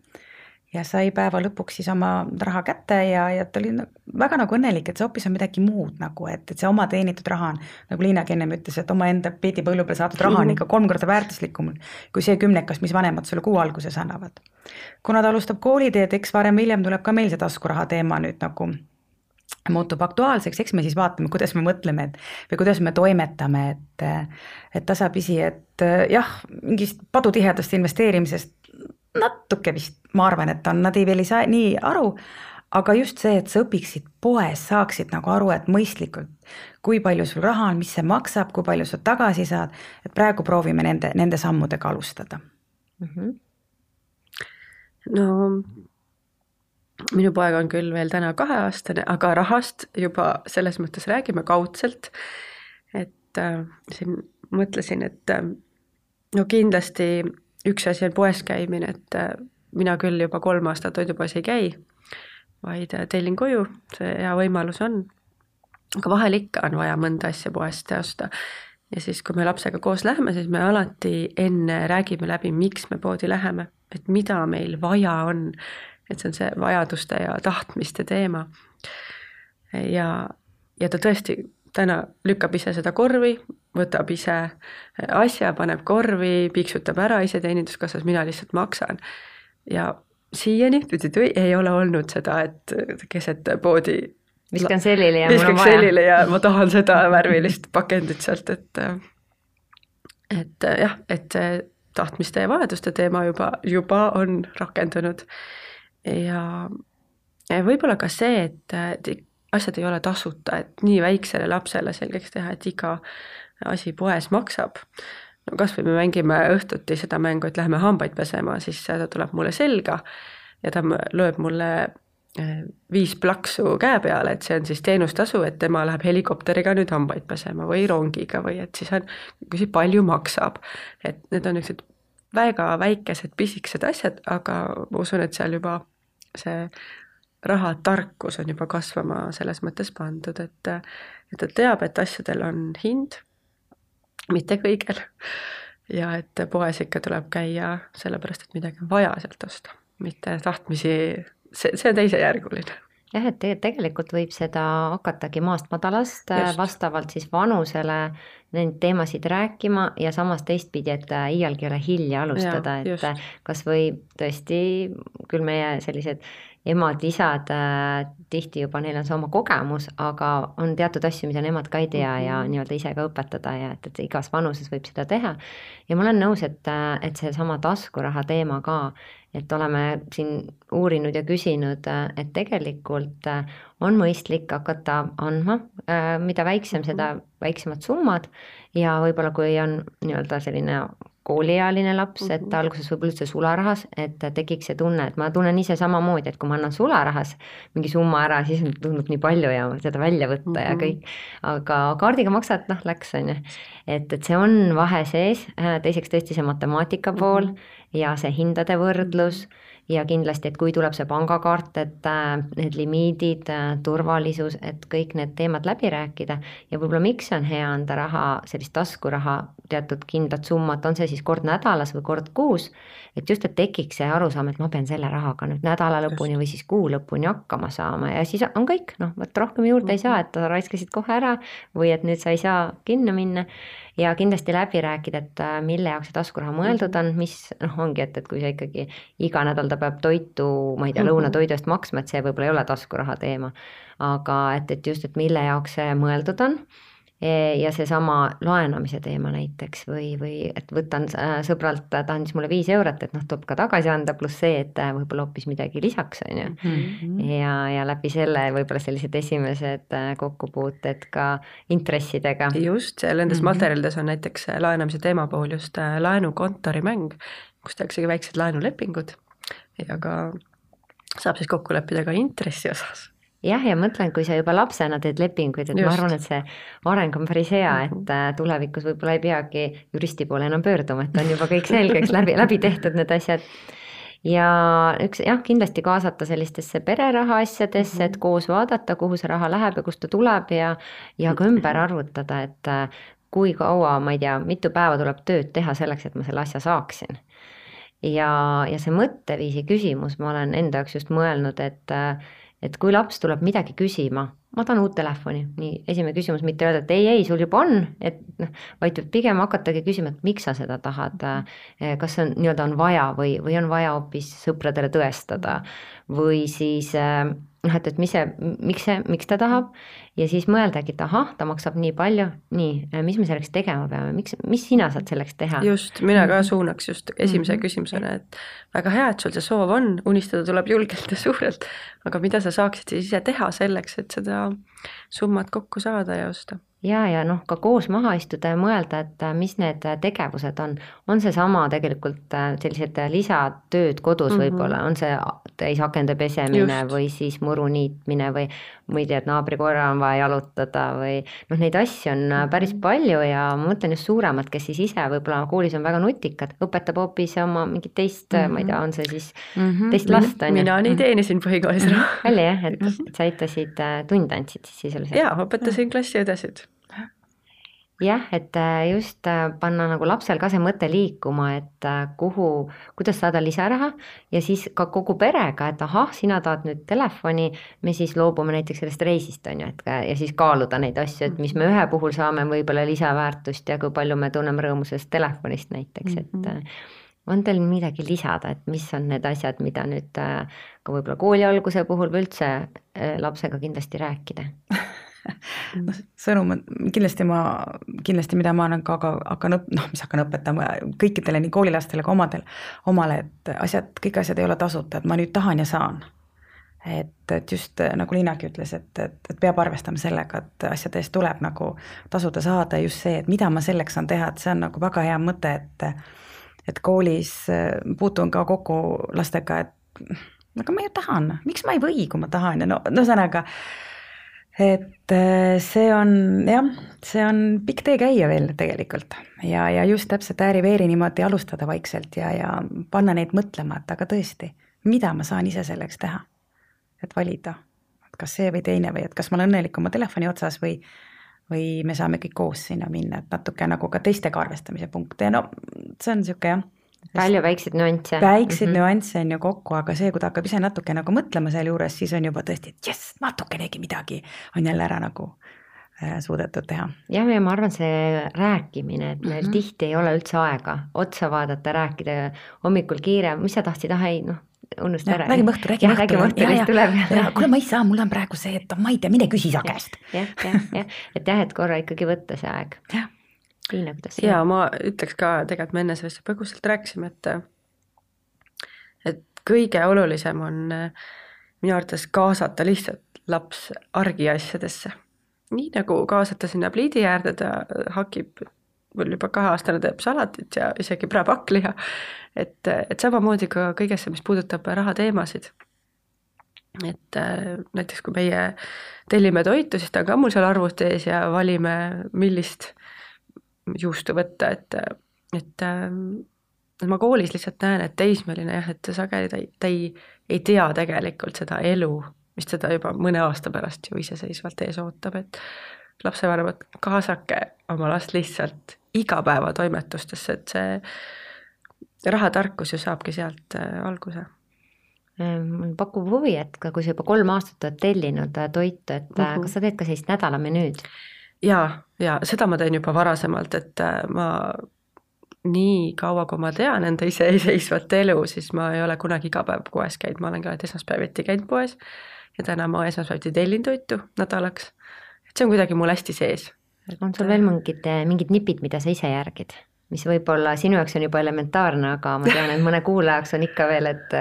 ja sai päeva lõpuks siis oma raha kätte ja ta oli väga õnnelik, et see hoopis on midagi muud et see oma teenitud raha on, nagu Liinagi ennem ütles, et oma enda peedipõllu peal saadud raha on ikka 3 korda väärtuslikum kui see 10, mis vanemad sulle kuu alguses annavad. Kuna ta alustab kooliteed, eks varem hiljem tuleb ka meil see taskuraha teema nüüd muutub aktuaalseks, eks me siis vaatame, kuidas me mõtleme või kuidas me toimetame, et tasapisi, et jah, mingist padutihedast investeerimisest natuke vist, ma arvan, et nad veel ei saa nii aru, aga just see, et sa õpiksid poes, saaksid aru, et mõistlikult, kui palju sul raha on, mis see maksab, kui palju sa tagasi saad, et praegu proovime nende sammudega alustada. No minu poeg on küll veel täna 2-aastane, aga rahast juba selles mõttes räägime kaudselt, et siin mõtlesin, et kindlasti üks asi on poes käimine, et mina küll juba 3 aastat toidupoes ei käi, vaid tellin koju, see hea võimalus on. Aga vahel ikka on vaja mõnda asja poest osta. Ja siis, kui me lapsega koos läheme, siis me alati enne räägime läbi, miks me poodi läheme, et mida meil vaja on. Et see on see vajaduste ja tahtmiste teema. Ja ta tõesti täna lükkab ise seda korvi, võtab ise asja, paneb korvi, piksutab ära ise teeninduskassas, mina lihtsalt maksan. Ja siiani ei ole olnud seda, et keset poodi viskan sellile ja mul on vaja. Ja ma tahan seda värvilist pakendit sealt, et jah, et tahtmiste ja vajaduste teema juba on rakendunud. Ja võib-olla ka see, et asjad ei ole tasuta, et nii väiksele lapsele selgeks teha, et iga asi poes maksab. No kas või me mängime õhtuti seda mängu, et läheme hambaid pesema, siis ta tuleb mulle selga ja ta lööb mulle 5 plaksu käe peale, et see on siis teenustasu, et tema läheb helikopteriga nüüd hambaid pesema või rongiga või et siis on, kui palju maksab. Et need on üks väga väikesed pisikesed asjad, aga ma usun, et seal juba see rahatarkus on juba kasvama selles mõttes pandud, et ta teab, et asjadel on hind, mitte kõigel. Ja et poes ikka tuleb käia sellepärast, et midagi on vaja sealt osta, mitte tahtmisi, see on teisejärguline. Jah, et tegelikult võib seda hakatagi maast madalast vastavalt siis vanusele neid teemasid rääkima ja samas teistpidi, et iialgi ole hilja alustada, et kas või tõesti küll meie sellised emad, isad tihti juba, neil on see oma kogemus, aga on teatud asju, mida nemad ka ei tea ja nii-öelda ise ka õpetada ja et igas vanuses võib seda teha. Ja ma olen nõus, et see sama taskuraha teema ka, et oleme siin uurinud ja küsinud, et tegelikult on mõistlik hakata andma, mida väiksem, seda väiksemad summad ja võib-olla kui on nii-öelda selline kooliealine laps, et ta alguses võib üldse sularahas, et tekiks see tunne, et ma tunnen ise samamoodi, et kui ma annan sularahas mingi summa ära, siis tundub nii palju ja seda välja võtta ja kõik, aga kaardiga maksad, noh, läks, on ju. Et see on vahe sees, teiseks tõesti see matemaatika pool ja see hindade võrdlus ja kindlasti, et kui tuleb see pangakaart, et need limiidid, turvalisus, et kõik need teemad läbi rääkida ja võib-olla miks on hea anda raha, sellist taskuraha, teatud kindlat summat, on see siis kord nädalas või kord kuus, et just, et tekiks see arusaam, et ma pean selle rahaga nüüd nädala lõpuni või siis kuu lõpuni hakkama saama ja siis on kõik, noh, võt rohkem juurde ei saa, et sa raiskasid kohe ära või et nüüd sa ei saa kinno minna ja kindlasti läbi rääkida, et mille jaoks see taskuraha mõeldud on, mis noh, ongi, et kui sa ikkagi iga nädal ta peab toitu, ma ei tea, lõunatoidu eest maksma, et see võib-olla ei ole taskuraha teema, aga et just, et mille jaoks see mõeldud on ja seesama laenamise teema näiteks või et võtan sõbralt, ta andis mulle 5 eurot, et noh, tuleb ka tagasi anda, pluss see, et võib-olla hoopis midagi lisaks, on ju. Ja läbi selle võib-olla sellised esimesed kokkupuuted ka intressidega. Just, nendes materjalides on näiteks laenamise teema puhul just laenukontorimäng, kus tehaksegi väiksed laenulepingud ja ka saab siis kokku leppida ka intressi osas. Jah, ja mõtlen, kui sa juba lapsena teed lepinguid, et just. Ma arvan, et see areng on päris hea, et tulevikus võib-olla ei peagi juristi poole enam pöörduma, et on juba kõik selgeks läbi tehtud need asjad. Ja üks, jah, kindlasti kaasata sellistesse pereraha asjadesse, et koos vaadata, kuhu see raha läheb ja kust ta tuleb ja ka ümber arvutada, et kui kaua, ma ei tea, mitu päeva tuleb tööd teha selleks, et ma selle asja saaksin. Ja see mõtteviisi küsimus, ma olen enda jaoks just mõelnud, et kui laps tuleb midagi küsima, ma tahan uut telefoni, nii esimene küsimus, mitte öelda, et ei, sul juba on, et vaid pigem hakatagi küsima, et miks sa seda tahad, kas see on, nii-öelda on vaja või on vaja hoopis sõpradele tõestada või siis et miks ta tahab ja siis mõeldagi, et ahah, ta maksab nii palju, mis me selleks tegema peame, mis sina saad selleks teha? Just, mina ka suunaks just esimese küsimusena, et väga hea, et sul see soov on, unistada tuleb julgelt ja suurelt, aga mida sa saaksid siis ise teha selleks, et seda summat kokku saada ja osta? Ja noh, ka koos maha istuda ja mõelda, et mis need tegevused on see sama tegelikult sellised lisatööd kodus võib-olla, on see täisakende pesemine just. Või siis muru niitmine või ma ei tea, et naabrikoera on vaja jalutada või noh, neid asju on päris palju ja ma mõtlen just suuremad, kes siis ise võib-olla koolis on väga nutikad, õpetab hoopis oma mingit teist, ma ei tea, on see siis teist last. Mina nii teenisin põhikoolis. Oli jah, et sa aitasid, tunde andsid siis sisuliselt? Jaa, õpetasin klassiõdesid. Jah, et just panna nagu lapsel ka see mõte liikuma, et kuidas saada lisaraha ja siis ka kogu perega, et ahah, sina tahad nüüd telefoni, me siis loobume näiteks sellest reisist, on ju, ja siis kaaluda neid asju, et mis me ühe puhul saame võib-olla lisaväärtust ja kui palju me tunneme rõõmu sellest telefonist näiteks, et on teil midagi lisada, et mis on need asjad, mida nüüd ka võib-olla kooli alguse puhul või üldse lapsega kindlasti rääkida? Sõnum on kindlasti, mida ma hakkan õpetama kõikidele nii koolilastele kui omale, et kõik asjad ei ole tasuta, et ma nüüd tahan ja saan. Et just nagu Liinagi ütles, et peab arvestama sellega, et asjade eest tuleb nagu tasuda saada just see, et mida ma selleks saan teha, et see on nagu väga hea mõte, et koolis puutun ka kokku lastega, et aga ma ju tahan, miks ma ei või, kui ma tahan ja no sõnaga et see on pikk tee käia veel tegelikult ja just täpselt ääri-veeri niimoodi alustada vaikselt ja panna neid mõtlema, et aga tõesti, mida ma saan ise selleks teha, et valida, et kas see või teine või et kas ma olen õnnelik oma telefoni otsas või me saame kõik koos sinna minna, et natuke nagu ka teistega arvestamise punkte ja no see on niisugune jah. Palju väikseid nüansse. Väikseid nüansse on ju kokku, aga see, kui ta hakkab ise natuke nagu mõtlema selle juures, siis on juba tõesti, et jess, natukenegi midagi on jälle ära nagu suudetud teha. Jah, ja ma arvan, see rääkimine, et meil tihti ei ole üldse aega otsa vaadata, rääkida hommikul kiire, mis sa tahtsid, unusta ära. Räägime õhtu. Kuule, ma ei saa, mul on praegu see, et ma ei tea, mine küsi sa käest. Et korra ikkagi võtta see aeg. Jah. Liina, kuidas see? Ja ma ütleks ka, tegelikult me enne sellest põgusalt rääkisime, et kõige olulisem on minu arvates kaasata lihtsalt laps argiasjadesse. Nii nagu kaasata sinna pliidi äärde, ta hakib mul juba 2-aastane teeb salatit ja isegi prääpakliha, et samamoodi ka kõigesse, mis puudutab rahateemasid. Et näiteks kui meie tellime toitu, siis ta on ka mul seal arvuti ees ja valime, millist juustu võtta, et ma koolis lihtsalt näen, et teismeline jah, et sageli ta ei tea tegelikult seda elu, mis teda juba mõne aasta pärast ju iseseisvalt ees ootab, et lapsevanemad kaasake oma last lihtsalt igapäevatoimetustesse, et see rahatarkus ju saabki sealt alguse. Mul pakub huvi, et kui sa juba 3 aastat oled tellinud toitu, et kas sa teed ka sellist nädalamenüüd? Ja seda ma teen juba varasemalt, et ma nii kaua, kui ma tean enda iseseisvat elu, siis ma ei ole kunagi iga päev poes käinud, ma olen ka esmaspäeviti käinud poes ja täna ma esmaspäeviti tellin toitu nädalaks. Et see on kuidagi mul hästi sees. On sul veel mingid nipid, mida sa ise järgid? Mis võib-olla sinu jaoks on juba elementaarne, aga ma tean, et mõne kuulajaks on ikka veel, et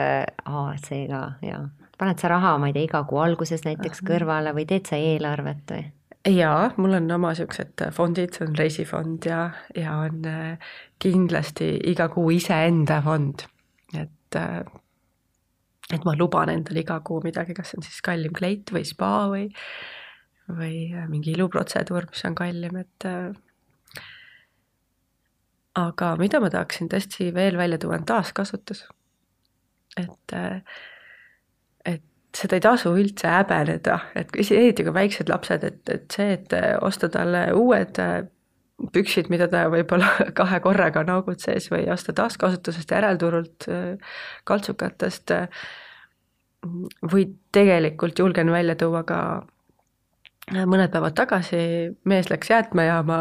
see ka, ja. Paned sa raha, ma ei tea, iga kuu alguses näiteks kõrvale või teed sa eelarvet või? Jaa, mul on oma siuksed fondid, see on reisifond ja on kindlasti iga kuu iseenda fond. Et ma luban endale iga kuu midagi, kas on siis kallim kleit või spa või mingi iluprotseduur, mis on kallim, et aga mida ma tahaksin tõesti veel välja tuua, on taaskasutus. Et seda ei tasu üldse häbeneda, et eriti kui väiksed lapsed, et see, et osta talle uued püksid, mida ta võib-olla 2 korraga naugud sees või osta taaskasutusest järelturult kaltsukatest või tegelikult julgen välja tuua ka mõned päevad tagasi mees läks jäätmejaama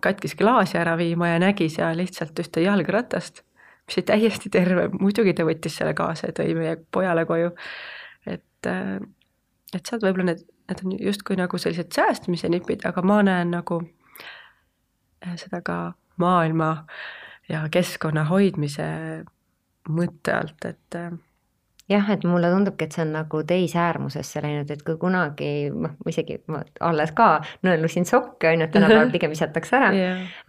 katkis klaasi ära viima ja nägi seal lihtsalt ühte jalgratast, mis oli täiesti terve, muidugi ta võttis selle kaasa ja tõi meie pojale koju. Et sealt võib-olla need on justkui nagu sellised säästmise nipid, aga ma näen nagu seda ka maailma ja keskkonna hoidmise mõtte alt, et jah, et mulle tundubki, et see on nagu teisäärmusesse läinud, et kui kunagi, isegi ma alles ka nõelusin sokke, on ju, et tänapäeval pigem visatakse ära,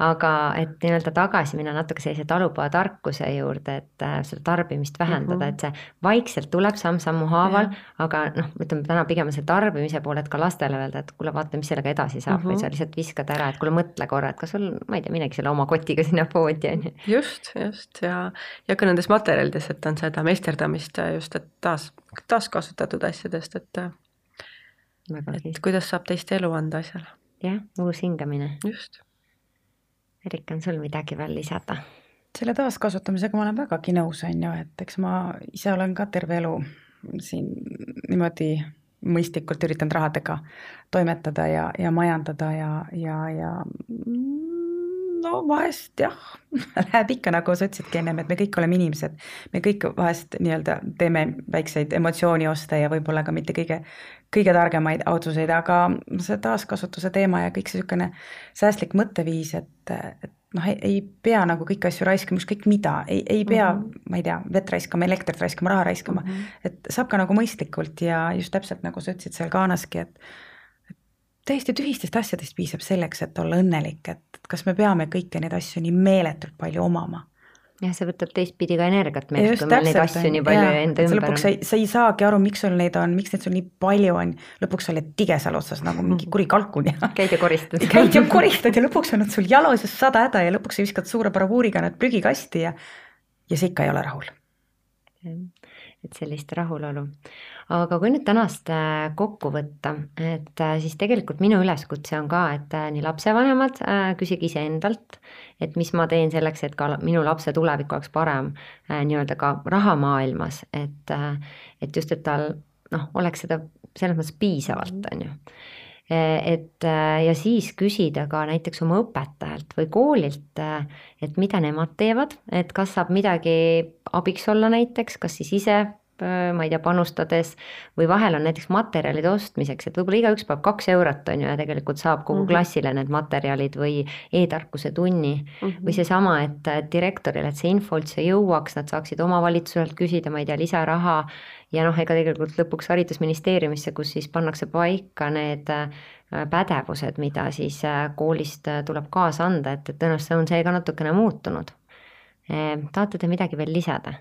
aga et nii-öelda tagasi minna natuke sellise talupojatarkuse juurde, et seda tarbimist vähendada, et see vaikselt tuleb samm-sammu haaval, aga ütleme täna pigem see tarbimise poole, et ka lastele öelda, et kuule vaata, mis sellega edasi saab või sa lihtsalt viskad ära, et kuule mõtle korra, et kas sul, ma ei tea, minegi selle oma kotiga sinna poodi, on ju. Just ja ka nendes materjalides, et on seda meisterdamist just et taaskasutatud asjadest, et kuidas saab teist elu anda asjale. Jah, uus hingamine. Just. Erika, on sul midagi veel lisada? Selle taaskasutamisega ma olen vägagi nõus, on ju, et eks ma ise olen ka terve elu siin niimoodi mõistlikult üritanud rahadega toimetada ja majandada ja no vahest jah, läheb ikka nagu sa ütlesidki ennem, et me kõik oleme inimesed, me kõik vahest nii-öelda teeme väikseid emotsioonioste ja võib-olla ka mitte kõige targemaid otsuseid, aga see taaskasutuse teema ja kõik see niisugune säästlik mõtteviis, et ei pea nagu kõiki asju raiskama, ükskõik mida, ei pea, ma ei tea, vett raiskama, elektrit raiskama, raha raiskama, et saab ka nagu mõistlikult ja just täpselt nagu sa ütlesid seal Gaanaski, et täiesti tühistest asjadest piisab selleks, et olla õnnelik, et kas me peame kõiki neid asju nii meeletult palju omama. Jah, see võtab teistpidi ka energiat meil, kui meil neid asju nii palju enda ümber on. Lõpuks sa ei saagi aru, miks sul neid on, miks neid sul nii palju on, lõpuks sa oled tige seal otsas nagu mingi kuri kalkun ja käid ja koristad ja lõpuks on nad sul jalos ja 100 häda ja lõpuks sa viskad suure bravuuriga nad prügikasti ja see ikka ei ole rahul. Et sellist rahulolu. Aga kui nüüd tänast kokku võtta, et siis tegelikult minu üleskutse on ka, et nii lapsevanemad küsige ise endalt, et mis ma teen selleks, et ka minu lapse tulevik oleks parem nii-öelda ka rahamaailmas, et just, et tal oleks seda selles mõttes piisavalt, on ju. Ja siis küsida ka näiteks oma õpetajalt või koolilt, et mida nemad teevad, et kas saab midagi abiks olla näiteks, kas siis ise ma ei tea, panustades või vahel on näiteks materjalide ostmiseks, et võib-olla igaüks peab 2 eurot on ju ja tegelikult saab kogu klassile need materjalid või e-tarkuse tunni või seesama, et direktoril, et see info üldse jõuaks, nad saaksid omavalitsuselt küsida, ma ei tea, lisaraha ja ega tegelikult lõpuks haridusministeeriumisse, kus siis pannakse paika need pädevused, mida siis koolist tuleb kaasa anda, et tõenäoliselt on see ka natukene muutunud. Tahate te midagi veel lisada?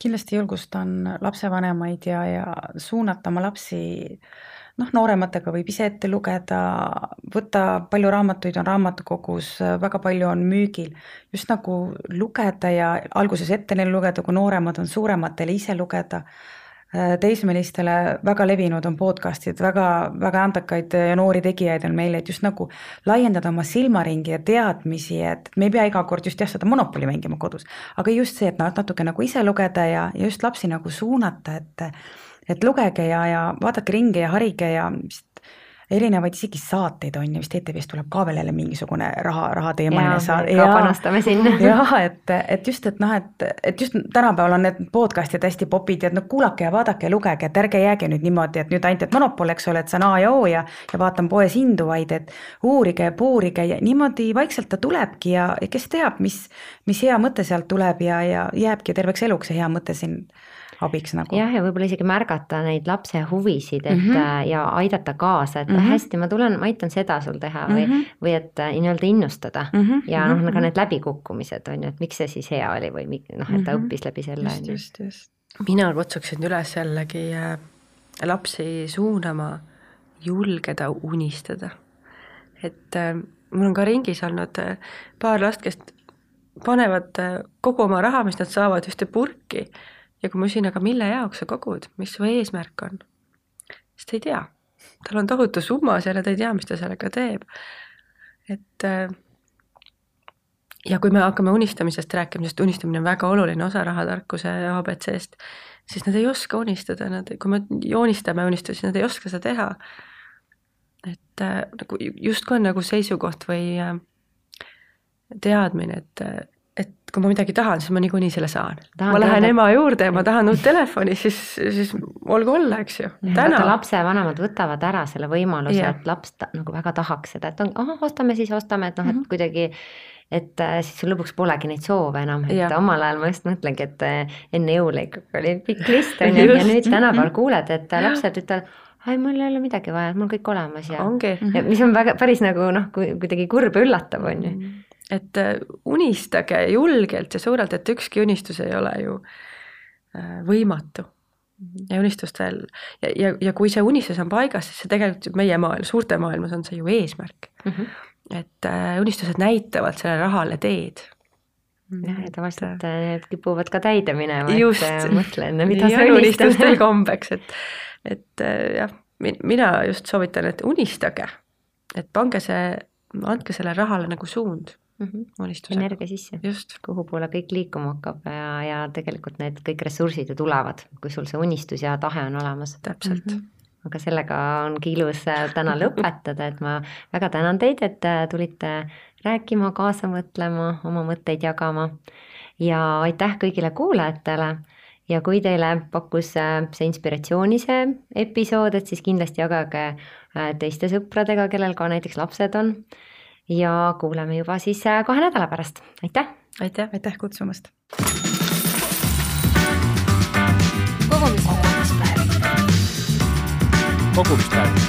Kindlasti julgustan lapsevanemaid ja suunata oma lapsi, noorematega võib ise ette lugeda, võtta palju raamatuid on raamatukogus, väga palju on müügil, just nagu lugeda ja alguses ette neile lugeda, kui nooremad on suurematele ise lugeda. Teismelistele väga levinud on podcastid, väga andekaid ja noori tegijaid on meile, et just nagu laiendada oma silmaringi ja teadmisi, et me ei pea iga kord just seda Monopoli mängima kodus, aga just see, et natuke nagu ise lugeda ja just lapsi nagu suunata, et lugege ja vaadake ringi ja harige ja erinevaid isegi saateid on ja vist ETV-st tuleb ka veel jälle mingisugune rahateemaline saade. Ka panastame sinna. Jah, et just tänapäeval on need podcastid hästi popid ja kuulake ja vaadake ja lugege, et ärge jääge nüüd niimoodi, et nüüd ainult, et Monopol, eks ole, et see on A ja O ja vaatan poes hindu, vaid et uurige ja puurige ja niimoodi vaikselt ta tulebki ja kes teab, mis hea mõte sealt tuleb ja jääbki terveks eluks see hea mõte siin abiks nagu. Jah, ja võib-olla isegi märgata neid lapse huvisid, et ja aidata kaasa, et hästi, ma aitan seda sul teha või et nii-öelda innustada ja ka need läbikukkumised on ju, et miks see siis hea oli või et ta õppis läbi selle. Just. Mina kutsuksin üles jällegi lapsi suunama, julgeda unistada. Et mul on ka ringis olnud paar last, kes panevad kogu oma raha, mis nad saavad ühte purki. Ja kui ma küsin, aga mille jaoks sa kogud, mis su eesmärk on? Sest ta ei tea. Tal on tohutu summa seal ja ta ei tea, mis ta sellega teeb. Et, ja kui me hakkame unistamisest rääkima, sest unistamine on väga oluline osa rahatarkuse ABC-st, siis nad ei oska unistada. Kui me joonistame unistusi, siis nad ei oska seda teha. Et justkui on nagu seisukoht või teadmine, et kui ma midagi tahan, siis ma niikuinii selle saan. Ma lähen ema juurde ja ma tahan uut telefoni, siis olgu olla, eks ju. Lapse vanemad võtavad ära selle võimaluse, et laps nagu väga tahaks seda, et ostame, et et kuidagi, et siis sul lõpuks polegi neid soove enam, et omal ajal ma just mõtlengi, et enne jõule ikkagi oli pikk list on ja nüüd tänapäeval kuuled, et lapsed ütlevad, mul ei ole midagi vaja, mul kõik olemas ja mis on väga päris nagu kuidagi kurb ja üllatav on ju. Et unistage julgelt ja suurelt, et ükski unistus ei ole ju võimatu. Ja unistustel, ja kui see unistus on paigas, siis see tegelikult meie suurte maailmas on see ju eesmärk. Et unistused näitavad selle rahale teed. Ja tavaliselt kipuvad ka täide minema, et mõtle enne, mida sa unistad. Unistustel kombeks, et jah, mina just soovitan, et unistage, et andke selle rahale nagu suund. Energia sisse, kuhu poole kõik liikuma hakkab ja tegelikult need kõik ressursid ju tulevad, kui sul see unistus ja tahe on olemas. Täpselt. Aga sellega ongi ilus täna lõpetada, et ma väga tänan teid, et tulite rääkima, kaasa mõtlema, oma mõtteid jagama ja aitäh kõigile kuulajatele ja kui teile pakkus see inspiratsiooni see episood, et siis kindlasti jagage teiste sõpradega, kellel ka näiteks lapsed on. Ja kuuleme juba siis 2 nädala pärast. Aitäh! Aitäh kutsumast! Kogumispäev.